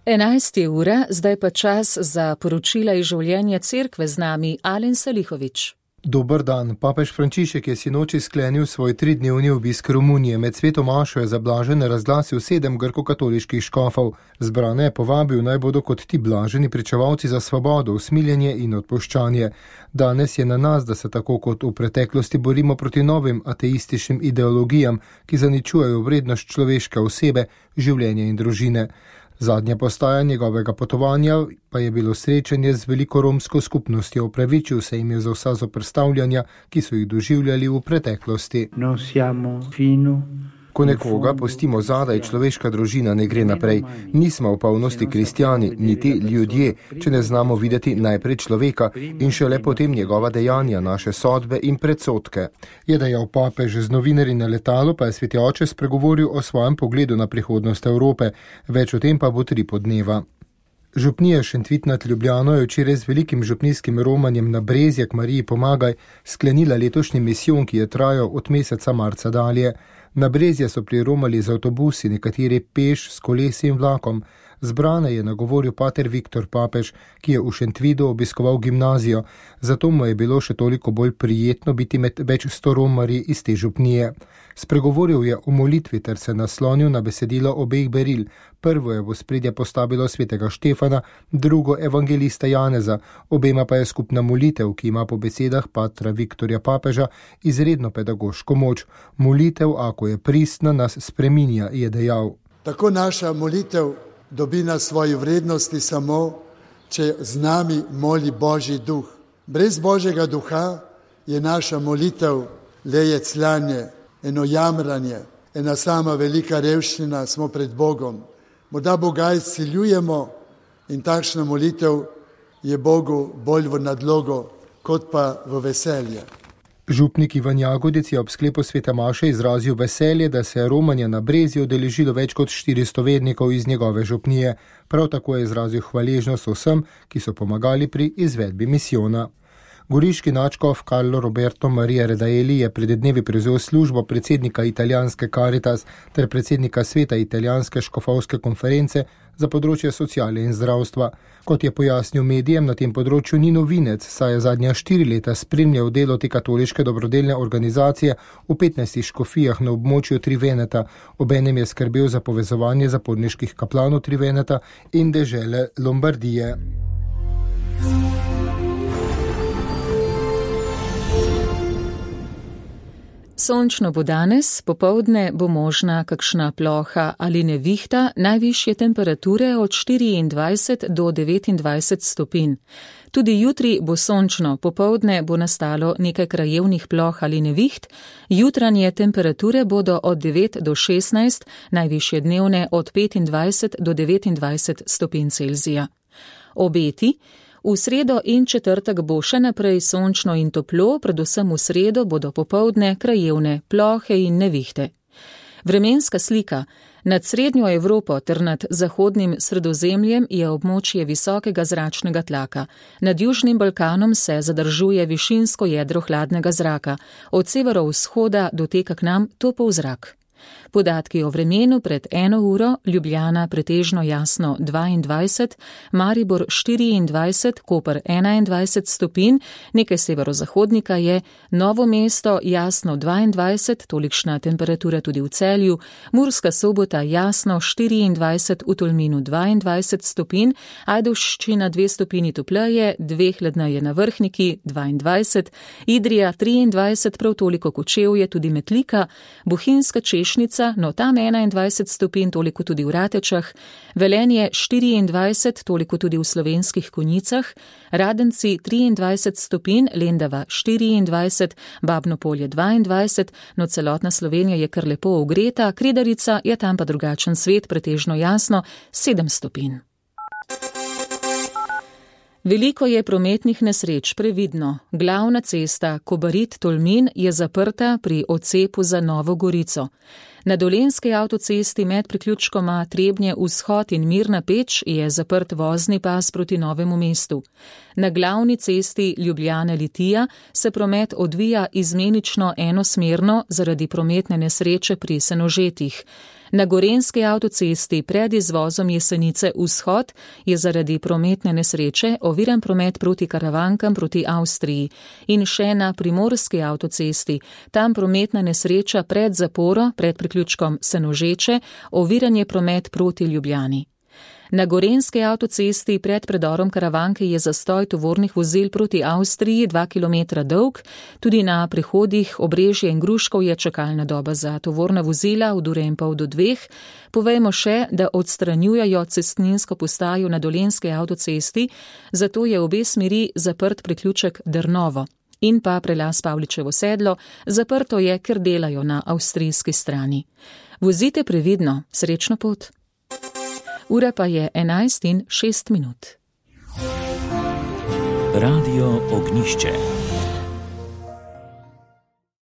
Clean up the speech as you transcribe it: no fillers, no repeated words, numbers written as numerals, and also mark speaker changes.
Speaker 1: 11 ura, zdaj pa čas za poročila iz življenja cerkve, z nami Alen Salihović.
Speaker 2: Dober dan. Papež Frančišek je sinoči sklenil svoj 3-dnevni obisk Romunije. Med sveto mašo je za blažene razglasil 7 grkokatoliških škofov. Zbrane je povabil, naj bodo kot ti blaženi pričevalci za svobodo, usmiljenje in odpuščanje. Danes je na nas, da se tako kot v preteklosti borimo proti novim ateističnim ideologijam, ki zaničujejo vrednost človeške osebe, življenja in družine. Zadnja postaja njegovega potovanja pa je bilo srečanje z veliko romsko skupnostjo. Opravičil se jim je za vsa zoperstavljanja, ki so jih doživljali v preteklosti. Ko nekoga pustimo zadaj, človeška družina ne gre naprej. Nismo v polnosti kristjani, niti ljudje, če ne znamo videti najprej človeka in šele potem njegova dejanja, naše sodbe in predsodke. Je dejal papež. Z novinarji na letalu pa je sveti oče spregovoril o svojem pogledu na prihodnost Evrope. Več o tem pa bo 3 dneva. Župnija Šentvit nad Ljubljano je včeraj z velikim župnijskim romanjem na Brezjak Mariji pomagaj sklenila letošnji misijon, ki je trajal od meseca marca dalje. Na Brezje so priromali z avtobusi, nekateri peš, s kolesi in vlakom. Zbrane je nagovoril pater Viktor Papež, ki je v Šentvidu obiskoval gimnazijo, zato mu je bilo še toliko bolj prijetno biti med več 100 romarji iz te župnije. Spregovoril je o molitvi ter se naslonil na besedilo obeh beril. Prvo je v ospredje postavilo svetega Štefana, drugo evangelista Janeza, obema pa je skupna molitev, ki ima po besedah patra Viktorja Papeža izredno pedagoško moč. Molitev, ako je pristna, nas spreminja, je dejal.
Speaker 3: Tako naša molitev dobi na svoji vrednosti samo, če z nami moli Božji duh. Brez Božjega duha je naša molitev le jecljanje, eno jamranje, ena sama velika revščina, smo pred Bogom. Morda Boga izsiljujemo in takšna molitev je Bogu bolj v nadlogo, kot pa v veselje.
Speaker 2: Župnik Ivan Jagodic je ob sklepu svete maše izrazil veselje, da se je romanja na Brezju udeležilo več kot 400 vernikov iz njegove župnije. Prav tako je izrazil hvaležnost vsem, ki so pomagali pri izvedbi misijona. Goriški nadškof Carlo Roberto Maria Redaeli je pred dnevi prevzel službo predsednika italijanske Caritas ter predsednika sveta italijanske škofovske konference za področje sociale in zdravstva. Kot je pojasnil medijem, na tem področju ni novinec, saj je zadnja 4 leta spremljal delo te katoliške dobrodelne organizacije v 15 škofijah na območju Triveneta. Obenem je skrbel za povezovanje zaporniških kaplanov Triveneta in dežele Lombardije.
Speaker 1: Sončno bo danes, popoldne bo možna kakšna ploha ali nevihta, najvišje temperature od 24 do 29 stopinj. Tudi jutri bo sončno, popoldne bo nastalo nekaj krajevnih ploh ali neviht, jutranje temperature bodo od 9 do 16, najvišje dnevne od 25 do 29 stopinj Celzija. Obeti. V sredo in četrtek bo še naprej sončno in toplo, predvsem v sredo bodo popoldne krajevne plohe in nevihte. Vremenska slika. Nad srednjo Evropo ter nad zahodnim Sredozemljem je območje visokega zračnega tlaka. Nad Južnim Balkanom se zadržuje višinsko jedro hladnega zraka. Od severovzhoda doteka k nam topel zrak. Podatki o vremenu pred 1 uro, Ljubljana pretežno jasno 22, Maribor 24, Koper 21 stopinj, nekaj severozahodnika je, Novo mesto jasno 22, tolikšna temperatura tudi v Celju, Murska Sobota jasno 24, v Tolminu 22 stopinj, Ajdovščina 2 stopinji topleje, 2 hladneje na Vrhniki 22, Idrija 23, prav toliko Kočevje, tudi Metlika, Bohinjska Češnica, no tam 21 stopinj, toliko tudi v Ratečah, Velenje 24, toliko tudi v Slovenskih Konjicah, Radenci 23 stopinj, Lendava 24, Babno Polje 22, no celotna Slovenija je kar lepo ogreta, Kredarica je tam pa drugačen svet, pretežno jasno 7 stopinj. Veliko je prometnih nesreč, previdno. Glavna cesta Kobarid-Tolmin je zaprta pri odcepu za Novo Gorico. Na Dolenjski avtocesti med priključkoma Trebnje vzhod in Mirna Peč je zaprt vozni pas proti Novemu mestu. Na glavni cesti Ljubljana-Litija se promet odvija izmenično enosmerno zaradi prometne nesreče pri Senožetih. Na Gorenjski avtocesti pred izvozom Jesenice vzhod je zaradi prometne nesreče oviran promet proti Karavankam proti Avstriji. In še na Primorski avtocesti, tam prometna nesreča pred zaporo, pred priključkom Senožeče, oviran je promet proti Ljubljani. Na Gorenjski avtocesti pred predorom Karavanke je zastoj tovornih vozil proti Avstriji 2 km dolg, tudi na prehodih Obrežje in Gruškov je čakalna doba za tovorna vozila od 1,5 do 2. Povejmo še, da odstranjujejo cestninsko postajo na Dolenjski avtocesti, zato je obe smeri zaprt priključek Drnovo. In pa prelaz Pavličevo sedlo, zaprto je, ker delajo na avstrijski strani. Vozite previdno, srečno pot. Ura pa je 11:06.
Speaker 4: Radio Ognjišče.